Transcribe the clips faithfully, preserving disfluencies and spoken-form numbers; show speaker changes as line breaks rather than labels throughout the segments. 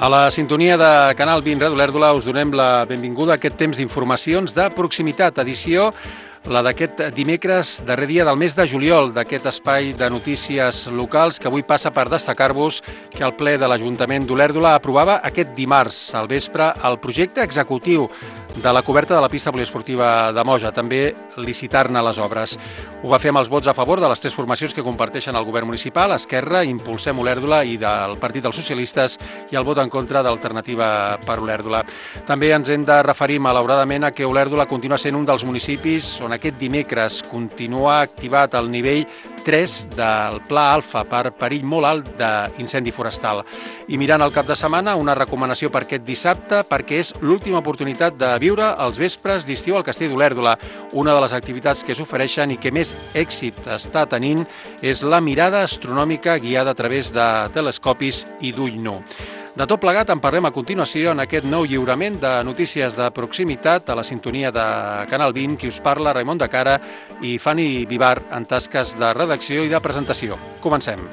A la sintonia de Canal vint Ràdio Olèrdola us donem la benvinguda a aquest temps d'informacions de proximitat, edició la d'aquest dimecres, darrer dia del mes de juliol, d'aquest espai de notícies locals que avui passa per destacar-vos que el ple de l'Ajuntament d'Olèrdola aprovava aquest dimarts al vespre el projecte executiu de la coberta de la pista poliesportiva de Moja, també licitar-ne les obres. Ho va fer amb els vots a favor de les tres formacions que comparteixen el govern municipal, Esquerra, Impulsem Olèrdola i del Partit dels Socialistes, i el vot en contra d'Alternativa per Olèrdola. També ens hem de referir malauradament a que Olèrdola continua sent un dels municipis on aquest dimecres continua activat el nivell tres del Pla Alfa per perill molt alt d'incendi forestal. I mirant el cap de setmana, una recomanació per aquest dissabte, perquè és l'última oportunitat de viure els vespres d'estiu al Castell d'Olèrdola. Una de les activitats que s'ofereixen i que més èxit està tenint és la mirada astronòmica guiada a través de telescopis i d'ull nu. De tot plegat en parlem a continuació en aquest nou lliurament de notícies de proximitat a la sintonia de Canal vint, qui us parla, Raimon de Cara i Fanny Vivar en tasques de redacció i de presentació. Comencem.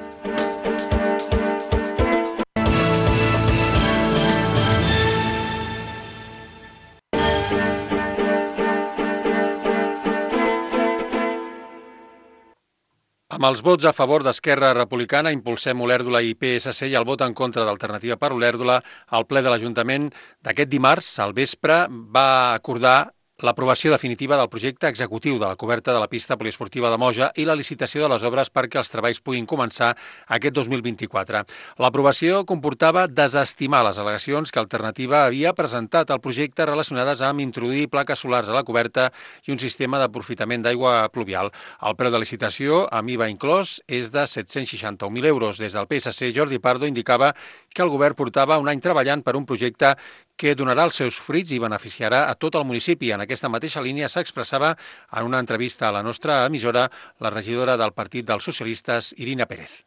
Amb els vots a favor d'Esquerra Republicana, Impulsem Olèrdola i P S C i el vot en contra d'Alternativa per Olèrdola, el ple de l'Ajuntament d'aquest dimarts, al vespre, va acordar l'aprovació definitiva del projecte executiu de la coberta de la pista poliesportiva de Moja i la licitació de les obres perquè els treballs puguin començar aquest dos mil vint-i-quatre. L'aprovació comportava desestimar les al·legacions que Alternativa havia presentat al projecte relacionades amb introduir plaques solars a la coberta i un sistema d'aprofitament d'aigua pluvial. El preu de licitació, amb I V A inclòs, és de set-cents seixanta-un mil euros. Des del P S C, Jordi Pardo indicava que el govern portava un any treballant per un projecte que donarà els seus fruits i beneficiarà a tot el municipi. En aquesta mateixa línia s'expressava en una entrevista a la nostra emissora la regidora del Partit dels Socialistes, Irina Pérez.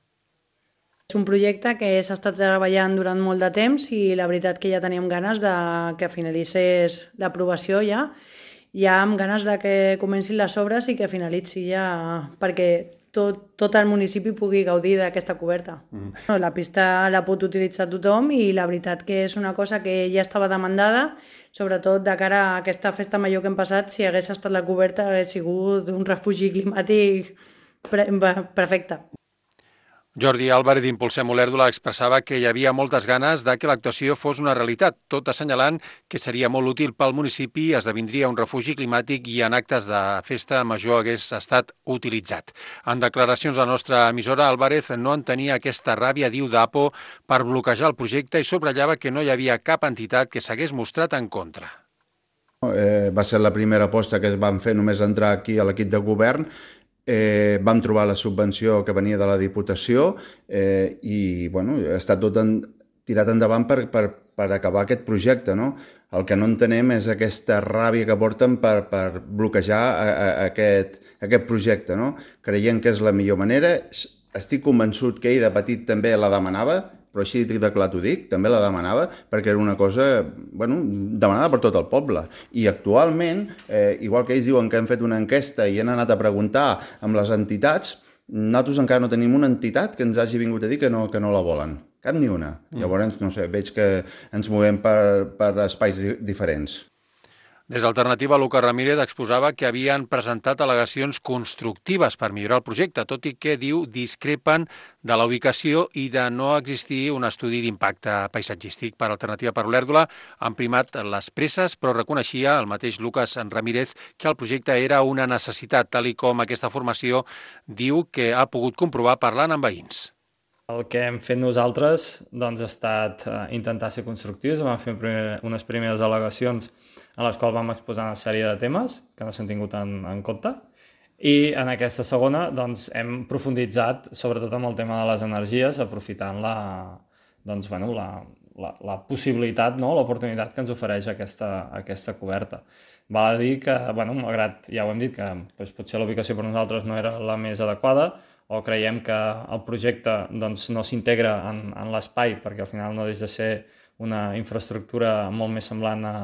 És un projecte que s'ha estat treballant durant molt de temps i la veritat que ja teníem ganes de que finalitzés l'aprovació ja. Ja amb ganes de que comencin les obres i que finalitzi ja perquè tot, tot el municipi pugui gaudir d'aquesta coberta. Mm. La pista la pot utilitzar tothom i la veritat que és una cosa que ja estava demandada, sobretot de cara a aquesta festa major que hem passat, si hagués estat la coberta hagués sigut un refugi climàtic perfecte.
Jordi Álvarez d'Impulsem Olèrdola expressava que hi havia moltes ganes de que l'actuació fos una realitat, tot assenyalant que seria molt útil pel municipi, esdevindria un refugi climàtic i en actes de festa major hagués estat utilitzat. En declaracions a la nostra emissora, Álvarez no entenia aquesta ràbia, diu, d'Apo per bloquejar el projecte i subratllava que no hi havia cap entitat que s'hagués mostrat en contra.
Eh, va ser la primera aposta que es van fer només entrar aquí a l'equip de govern. Eh, vam trobar la subvenció que venia de la Diputació eh, i bueno, està tot en, tirat endavant per, per, per acabar aquest projecte, no? El que no entenem és aquesta ràbia que porten per, per bloquejar a, a, a aquest, aquest projecte, no? Creient que és la millor manera. Estic convençut que ell de petit també la demanava, però així de clar t'ho dic, també la demanava, perquè era una cosa bueno, demanada per tot el poble. I actualment, eh, igual que ells diuen que han fet una enquesta i han anat a preguntar amb les entitats, nosaltres encara no tenim una entitat que ens hagi vingut a dir que no, que no la volen. Cap ni una. Mm. Llavors, no sé, veig que ens movem per, per espais diferents.
Des d'Alternativa, Lucas Ramírez exposava que havien presentat al·legacions constructives per millorar el projecte, tot i que, diu, discrepen de la ubicació i de no existir un estudi d'impacte paisatgístic. Per Alternativa per Olèrdola han primat les presses, però reconeixia el mateix Lucas Ramírez que el projecte era una necessitat, tal i com aquesta formació diu que ha pogut comprovar parlant amb veïns.
El que hem fet nosaltres doncs, ha estat eh, intentar ser constructius. Vam fer primer, unes primeres al·legacions en les quals vam exposar una sèrie de temes que no s'han tingut en, en compte. I en aquesta segona doncs, hem profunditzat sobretot amb el tema de les energies, aprofitant la, doncs, bueno, la, la, la possibilitat, no? L'oportunitat que ens ofereix aquesta, aquesta coberta. Val a dir que, bueno, malgrat, ja ho hem dit, que doncs, potser la ubicació per nosaltres no era la més adequada, o creiem que el projecte doncs, no s'integra en, en l'espai, perquè al final no deixa de ser una infraestructura molt més semblant a,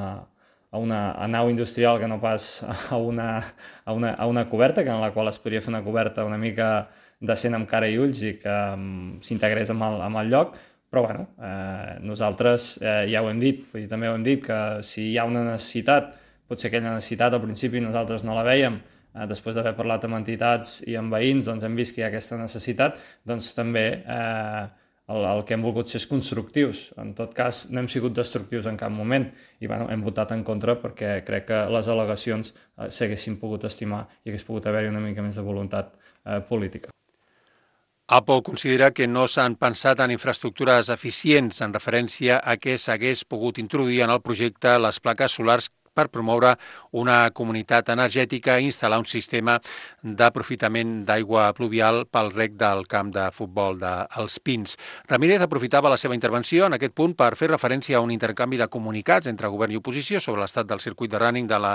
a una a nau industrial que no pas a una, a, una, a una coberta, que en la qual es podria fer una coberta una mica decent amb cara i ulls i que um, s'integrés amb el, amb el lloc, Però bueno, eh, nosaltres eh, ja ho hem dit, vull dir, també ho hem dit, que si hi ha una necessitat, potser aquella necessitat al principi nosaltres no la vèiem, eh, després d'haver parlat amb entitats i amb veïns, doncs hem vist que hi ha aquesta necessitat, doncs també eh, el, el que hem volgut ser és constructius. En tot cas, no hem sigut destructius en cap moment i bueno, hem votat en contra perquè crec que les al·legacions eh, s'haguessin pogut estimar i hagués pogut haver-hi una mica més de voluntat eh, política.
APO considera que no s'han pensat en infraestructures eficients en referència a què s'hagués pogut introduir en el projecte les plaques solars per promoure una comunitat energètica i instal·lar un sistema d'aprofitament d'aigua pluvial pel reg del camp de futbol dels Pins. Ramírez aprofitava la seva intervenció en aquest punt per fer referència a un intercanvi de comunicats entre govern i oposició sobre l'estat del circuit de running de la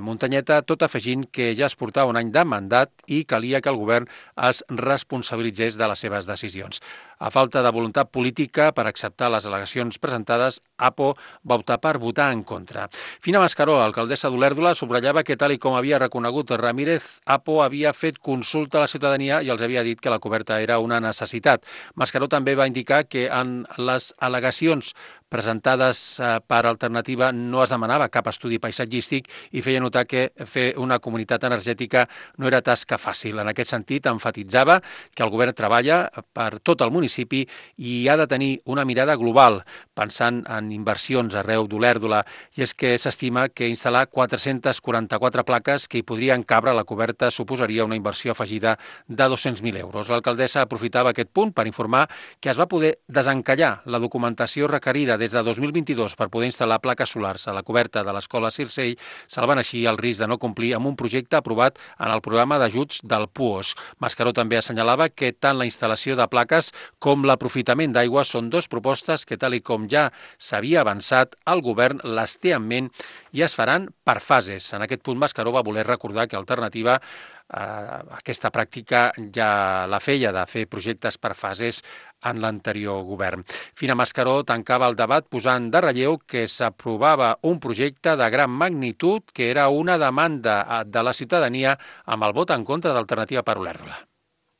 muntanyeta, tot afegint que ja es portava un any de mandat i calia que el govern es responsabilitzés de les seves decisions. A falta de voluntat política per acceptar les al·legacions presentades, APO va optar per votar en contra. Fina Mascaró, alcaldessa d'Olèrdola, subratllava que, tal i com havia reconegut Ramírez, APO havia fet consulta a la ciutadania i els havia dit que la coberta era una necessitat. Mascaró també va indicar que en les al·legacions presentades per Alternativa no es demanava cap estudi paisatgístic i feia notar que fer una comunitat energètica no era tasca fàcil. En aquest sentit, enfatitzava que el govern treballa per tot el municipi i ha de tenir una mirada global, pensant en inversions arreu d'Olèrdola, i és que s'estima que instal·lar quatre-centes quaranta-quatre plaques que hi podrien cabre a la coberta suposaria una inversió afegida de dos-cents mil euros. L'alcaldessa aprofitava aquest punt per informar que es va poder desencallar la documentació requerida des de dos mil vint-i-dos per poder instal·lar plaques solars a la coberta de l'escola Circell, salvant així el risc de no complir amb un projecte aprovat en el programa d'ajuts del PUOS. Mascaró també assenyalava que tant la instal·lació de plaques com l'aprofitament d'aigua són dues propostes que, tal i com ja s'havia avançat, el govern les té en ment i es faran per fases. En aquest punt, Mascaró va voler recordar que Alternativa eh, aquesta pràctica ja la feia, de fer projectes per fases en l'anterior govern. Fina Mascaró tancava el debat posant de relleu que s'aprovava un projecte de gran magnitud que era una demanda de la ciutadania amb el vot en contra d'Alternativa per Olèrdola.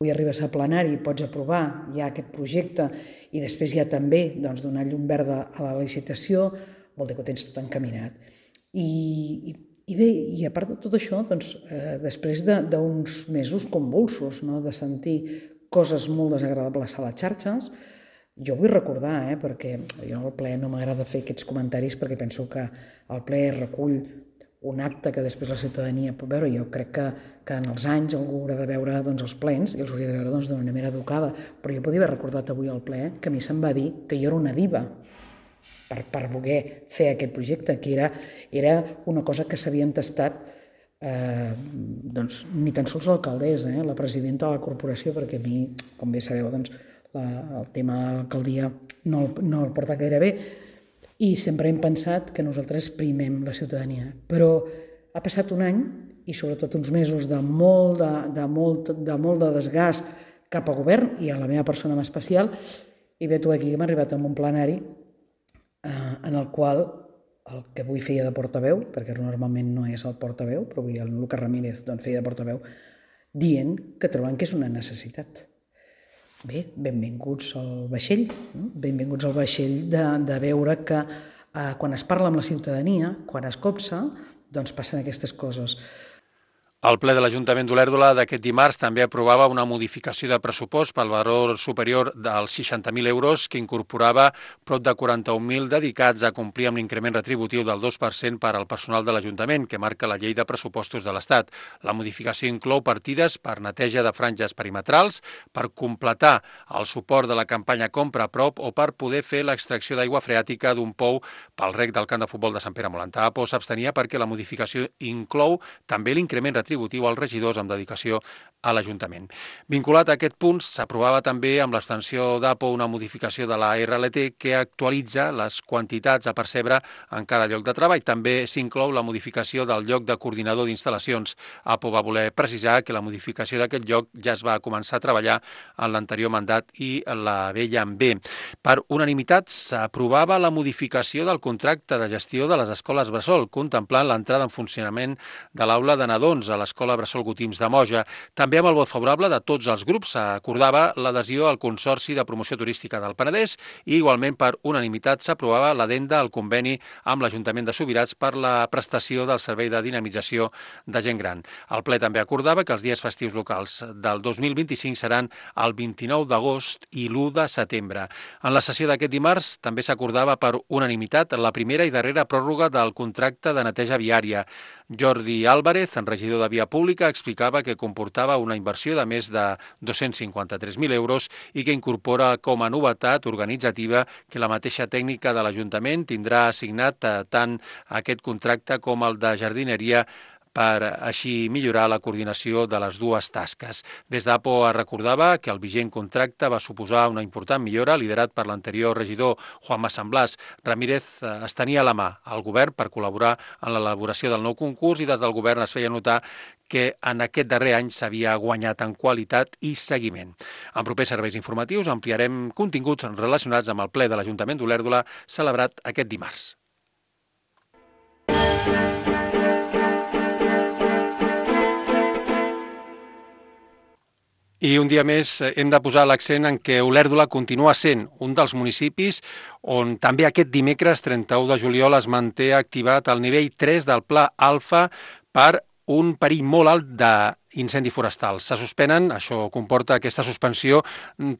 Avui arribes a plenari i pots aprovar ja aquest projecte i després ja també doncs, donar llum verda a la licitació, vol dir que ho tens tot encaminat. I, i, i bé, i a part de tot això, doncs, eh, després d'uns de, mesos convulsos, no?, de sentir coses molt desagradables a les xarxes, jo vull recordar, eh, perquè jo al ple no m'agrada fer aquests comentaris perquè penso que el ple recull un acte que després la ciutadania pot veure. Jo crec que, que en els anys algú haurà de veure doncs, els plens i els hauria de veure doncs, d'una manera educada. Però jo podria haver recordat avui al ple que a mi se'm va dir que jo era una diva per, per voler fer aquest projecte, que era, era una cosa que s'havia entestat eh, doncs, ni tan sols l'alcaldessa, eh, la presidenta de la corporació, perquè a mi, com bé sabeu, doncs, la, el tema de l'alcaldia no, no el porta gaire bé, i sempre hem pensat que nosaltres primem la ciutadania. Però ha passat un any i sobretot uns mesos de molt de, de, molt, de, molt de desgast cap al govern i a la meva persona en especial, i ve tu aquí que m'ha arribat amb un plenari eh, en el qual el que avui feia de portaveu, perquè normalment no és el portaveu, però avui el Lucas Ramírez doncs, feia de portaveu, dient que troben que és una necessitat. Bé, benvinguts al vaixell, no? Benvinguts al vaixell de, de veure que eh, quan es parla amb la ciutadania, quan es copsa, doncs passen aquestes coses.
El ple de l'Ajuntament d'Olèrdola d'aquest dimarts també aprovava una modificació de pressupost pel valor superior dels seixanta mil euros que incorporava prop de quaranta-un mil dedicats a complir amb l'increment retributiu del dos per cent per al personal de l'Ajuntament que marca la llei de pressupostos de l'Estat. La modificació inclou partides per neteja de franges perimetrals, per completar el suport de la campanya Compra a prop o per poder fer l'extracció d'aigua freàtica d'un pou pel reg del camp de futbol de Sant Pere Molantà. APO s'abstenia perquè la modificació inclou també l'increment retributiu als regidors amb dedicació a l'Ajuntament. Vinculat a aquest punt, s'aprovava també amb l'extensió d'APO una modificació de la R L T que actualitza les quantitats a percebre en cada lloc de treball. També s'inclou la modificació del lloc de coordinador d'instal·lacions. APO va voler precisar que la modificació d'aquest lloc ja es va començar a treballar en l'anterior mandat i la veia en bé. Per unanimitat s'aprovava la modificació del contracte de gestió de les escoles bressol, contemplant l'entrada en funcionament de l'aula de nadons a l'escola Bressol Gotims de Moja. També També amb el vot favorable de tots els grups s'acordava l'adhesió al Consorci de Promoció Turística del Penedès i igualment per unanimitat s'aprovava l'addenda al conveni amb l'Ajuntament de Subirats per la prestació del servei de dinamització de gent gran. El ple també acordava que els dies festius locals del dos mil vint-i-cinc seran el vint-i-nou d'agost i l'u de setembre. En la sessió d'aquest dimarts també s'acordava per unanimitat la primera i darrera pròrroga del contracte de neteja viària. Jordi Álvarez, regidor de Via Pública, explicava que comportava una inversió de més de dos-cents cinquanta-tres mil euros i que incorpora com a novetat organitzativa que la mateixa tècnica de l'Ajuntament tindrà assignat tant aquest contracte com el de jardineria per així millorar la coordinació de les dues tasques. Des d'A P O es recordava que el vigent contracte va suposar una important millora liderat per l'anterior regidor Juanma San Blas. Ramírez es tenia a la mà al govern per col·laborar en l'elaboració del nou concurs i des del govern es feia notar que en aquest darrer any s'havia guanyat en qualitat i seguiment. En propers serveis informatius ampliarem continguts relacionats amb el ple de l'Ajuntament d'Olèrdola celebrat aquest dimarts. I un dia més hem de posar l'accent en què Olèrdola continua sent un dels municipis on també aquest dimecres trenta-u de juliol es manté activat el nivell tres del Pla Alfa per un perill molt alt d'incendi forestal. Se suspenen, això comporta aquesta suspensió,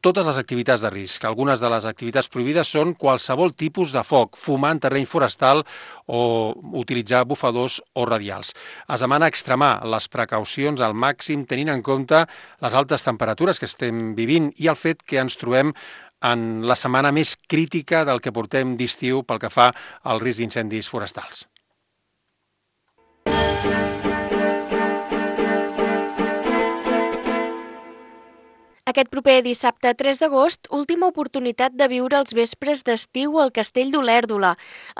totes les activitats de risc. Algunes de les activitats prohibides són qualsevol tipus de foc, fumar en terreny forestal o utilitzar bufadors o radials. Es demana extremar les precaucions al màxim tenint en compte les altes temperatures que estem vivint i el fet que ens trobem en la setmana més crítica del que portem d'estiu pel que fa al risc d'incendis forestals.
Aquest proper dissabte tres d'agost, última oportunitat de viure els vespres d'estiu al Castell d'Olèrdola.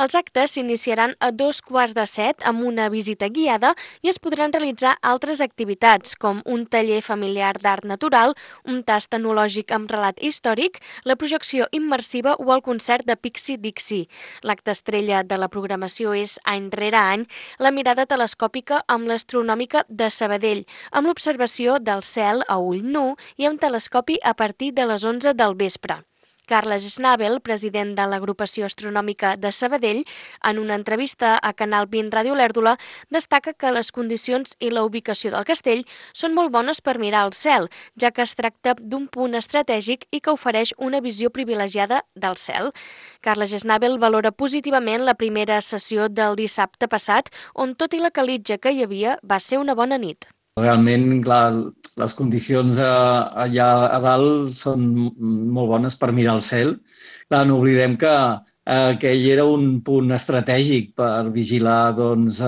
Els actes s'iniciaran a dos quarts de set amb una visita guiada i es podran realitzar altres activitats, com un taller familiar d'art natural, un tast enològic amb relat històric, la projecció immersiva o el concert de Pixie Dixie. L'acte estrella de la programació és, any rere any, la mirada telescòpica amb l'astronòmica de Sabadell, amb l'observació del cel a ull nu i amb telescopi a partir de les onze del vespre. Carles Schnabel, president de l'Agrupació Astronòmica de Sabadell, en una entrevista a Canal vint Ràdio Olèrdola, destaca que les condicions i la ubicació del castell són molt bones per mirar el cel, ja que es tracta d'un punt estratègic i que ofereix una visió privilegiada del cel. Carles Schnabel valora positivament la primera sessió del dissabte passat, on tot i la calitja que hi havia va ser una bona nit.
Realment, clar, les condicions allà a dalt són molt bones per mirar el cel. Clar, no oblidem que aquell era un punt estratègic per vigilar doncs,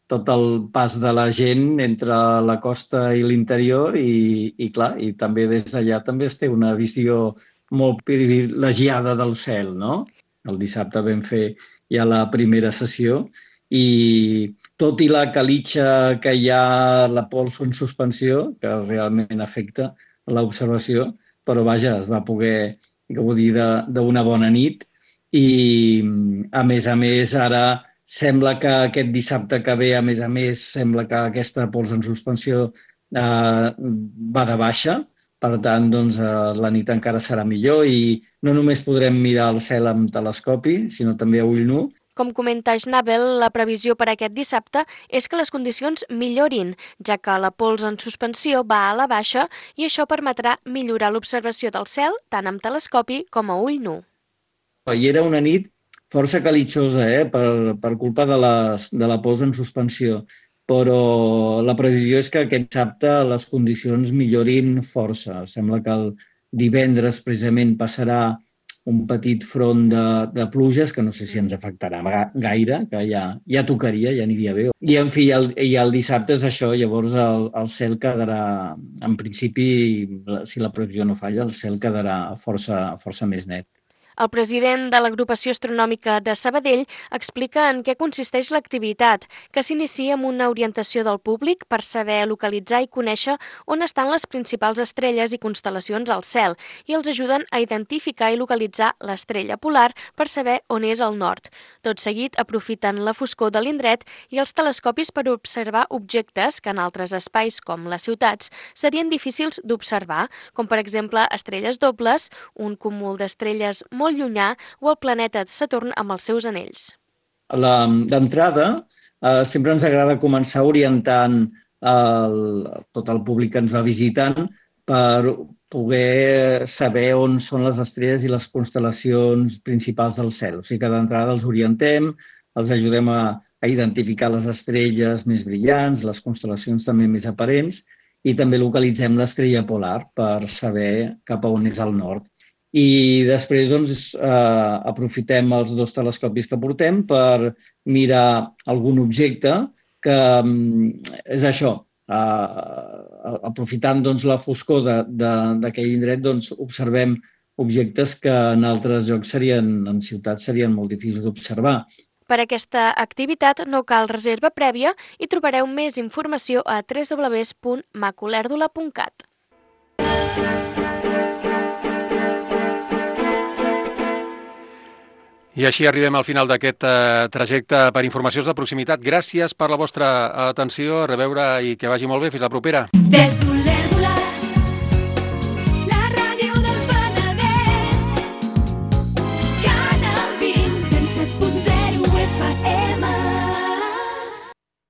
tot el pas de la gent entre la costa i l'interior i, i, clar, i també des d'allà també es té una visió molt privilegiada del cel, no? El dissabte vam fer ja la primera sessió i tot i la calitja que hi ha, la pols en suspensió, que realment afecta l'observació, però vaja, es va poder gaudir d'una bona nit i, a més a més, ara sembla que aquest dissabte que ve, a més a més, sembla que aquesta pols en suspensió eh, va de baixa, per tant, doncs, eh, la nit encara serà millor i no només podrem mirar el cel amb telescopi, sinó també a ull nu.
Com comenta Schnabel, la previsió per aquest dissabte és que les condicions millorin, ja que la pols en suspensió va a la baixa i això permetrà millorar l'observació del cel tant amb telescopi com a ull nu.
I era una nit força calitjosa, eh, per, per culpa de, les, de la pols en suspensió, però la previsió és que aquest dissabte les condicions millorin força. Sembla que el divendres precisament passarà un petit front de, de pluges que no sé si ens afectarà gaire, que ja, ja tocaria, ja aniria bé. I, en fi, el, i el dissabte és això, llavors el, el cel quedarà, en principi, si la previsió no falla, el cel quedarà força, força més net.
El president de l'Agrupació Astronòmica de Sabadell explica en què consisteix l'activitat, que s'inicia amb una orientació del públic per saber localitzar i conèixer on estan les principals estrelles i constel·lacions al cel i els ajuden a identificar i localitzar l'estrella polar per saber on és el nord. Tot seguit aprofiten la foscor de l'indret i els telescopis per observar objectes que en altres espais com les ciutats serien difícils d'observar, com per exemple estrelles dobles, un cúmul d'estrelles molt llunyà o el planeta Saturn amb els seus anells.
D'entrada, eh, sempre ens agrada començar orientant el, tot el públic que ens va visitant per poder saber on són les estrelles i les constel·lacions principals del cel. O sigui que d'entrada els orientem, els ajudem a, a identificar les estrelles més brillants, les constel·lacions també més aparents, i també localitzem l'estrella polar per saber cap a on és el nord. I després doncs, eh, aprofitem els dos telescopis que portem per mirar algun objecte que és això, eh, aprofitant doncs, la foscor d'aquell indret, doncs, observem objectes que en altres llocs serien, en ciutats serien molt difícils d'observar.
Per aquesta activitat no cal reserva prèvia i trobareu més informació a w w w punt macolèrdula punt cat.
I així arribem al final d'aquest eh, trajecte per informacions de proximitat. Gràcies per la vostra atenció, a reveure i que vagi molt bé. Fins la propera. Des d'Olèrdola